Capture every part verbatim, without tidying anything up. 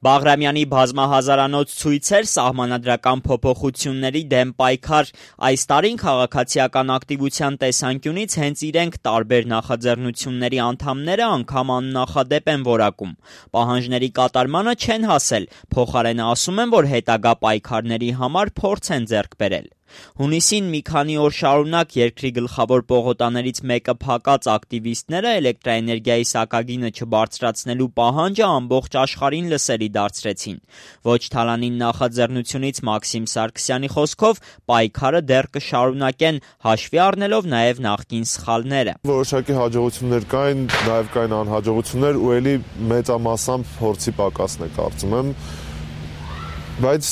Բաղրամյանի բազմահազարանոց ցույցեր, սահմանադրական փոփոխությունների դեմ պայքար։ Այս տարին քաղաքացիական ակտիվության տեսանկյունից հենց իրենք տարբեր նախաձեռնությունների անդամները անգամ աննախադեպ են որակում։ Պահանջների կատարմանը չեն հասել, փոխարենը ասում են, որ հետագա պայքարների համար փորձ են ձեռք բերել։ Հունիսին մի քանի օր շարունակ երկրի գլխավոր պողոտաներից մեկը փակած ակտիվիստները էլեկտրաէներգիայի սակագինը չբարձրացնելու պահանջը ամբողջ աշխարհին լսելի դարձրեցին։ Ոչ Թալանին նախաձեռնությունից Մաքսիմ Սարգսյանի խոսքով պայքարը դեռ կշարունակեն, հաշվի առնելով նաև նախկին սխալները։ Որոշակի հաջողություններ կային, նաև կային անհաջողություններ ու ելի մեծամասամբ փորձի պակասն է կարծում եմ, բայց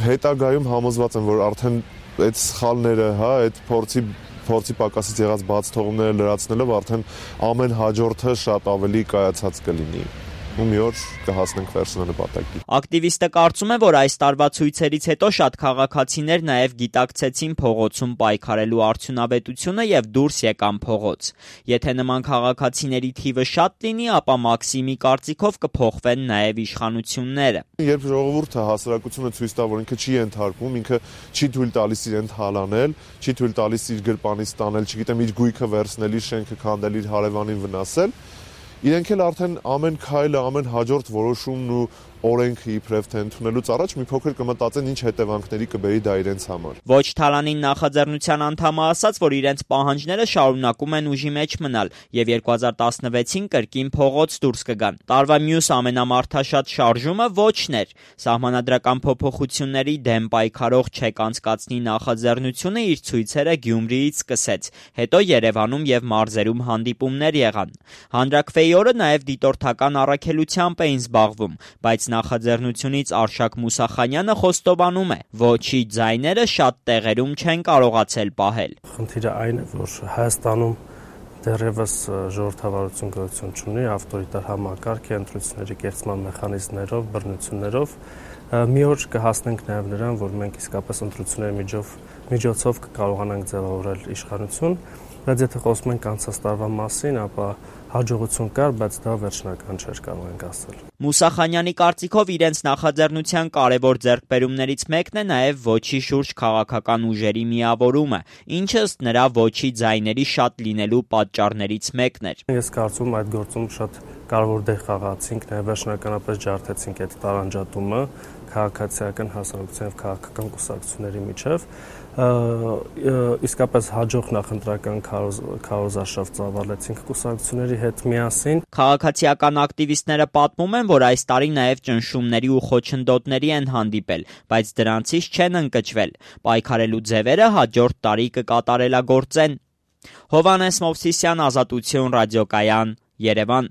հետագայում համոզված եմ, որ արդեն այդ սխալները, հա, այդ փորձի փորձի պակասից եղած բաց թողումները լրացնելով արդեն ամեն հաջորդը շատ ավելի կայացած կլինի։ Ու մի օր կհասնենք վերջնանպատակի։ Ակտիվիստը կարծում է, որ այս տարվա ցույցերից հետո շատ քաղաքացիներ նաև գիտակցեցին փողոցում պայքարելու արդյունավետությունը եւ դուրս եկան փողոց։ Եթե նման քաղաքացիների թիվը շատ լինի, ապա Մաքսիմի կարծիքով կփոխվեն նաև իշխանությունները։ Երբ ժողովուրդը հասարակությունը ցույց տա, որ ինքը չի ենթարկվում, ինքը չի թույլ տալիս իրեն թալանել, չի թույլ տալիս իր գրպանից տանել, չգիտեմ, իր գույքը վերցնել, իր շենքը քանդել, իր հարևանին վնասել, իրենք էլ արդեն ամեն քայլը, ամեն հաջորդ որոշումն ու օրենքը իբրև թե ընդունելուց առաջ մի փոքր կմտածեն ինչ հետևանքների կբերի դա իրենց համար։ Ոչ Թալանին նախաձեռնության անդամը ասաց, որ իրենց պահանջները շարունակում են ուժի մեջ մնալ եւ երկու հազար տասնվեցին կրկին փողոց դուրս կգան։ Տարվա մյուս ամենամարդաշատ շարժումը ոչն էր։ Սահմանադրական փոփոխությունների դեմ պայքարող Չեք անցկացնի նախաձեռնությունը իր ցույցերը Գյումրիից սկսեց, հետո Երևանում եւ մարզերում հանդիպումներ եղան։ Հանրաքվեի օրը նաեւ դիտորդական առաքելությամբ էին զբաղվում, բայց նախաձեռնությունից Արշակ Մուսախանյանը խոստովանում է, ոչի ձայները շատ տեղերում չեն կարողացել պահել։ Խնդիրը այն է, որ Հայաստանում դեռևս ժողովրդավարություն գոյություն չունի, ավտորիտար համակարգ է, ընտրությունների կեղծման մեխանիզմներով, բռնություններով։ Մի օր կհասնենք նաև նրան, որ մենք իսկապես ընտրությունների միջով միջոցով կկարողանանք ձևավորել իշխանություն, բայց եթե խոսում ենք անցած տարվա մասին, ապա հաջողություն կար, բայց դա վերջնական չէր, կարող ենք ասել։ Մուսախանյանի կարծիքով իրենց նախաձեռնության կարևոր ձեռքբերումներից մեկն է նաև ոչի շուրջ քաղաքական ուժերի միավորումը, ինչը ըստ նրա ոչի ձայների շատ լինելու պատճառներից մեկն էր։ Ես կարծում եմ այդ գործում շատ կարևոր դեր խաղացինք, նաև վերջնականապես ջարդեցինք այդ տարանջատումը քաղաքացիական հասարակության եւ քաղաքական կուսակցությունների միջև։ Իսկապես հաջող նախընտրական քարոզարշավ ծավալեցինք կուսակցությունների հետ միասին։ Քաղաքացիական ակտիվիստները պատմում են, որ այս տարի նաև ճնշումների ու խոչընդոտների են հանդիպել, բայց դրանցից չեն ընկճվել։ Պայքարելու ձևերը հաջորդ տարի կկատարելագործեն։ Հովհաննես Մովսիսյան, Ազատություն ռադիոկայան, Երևան։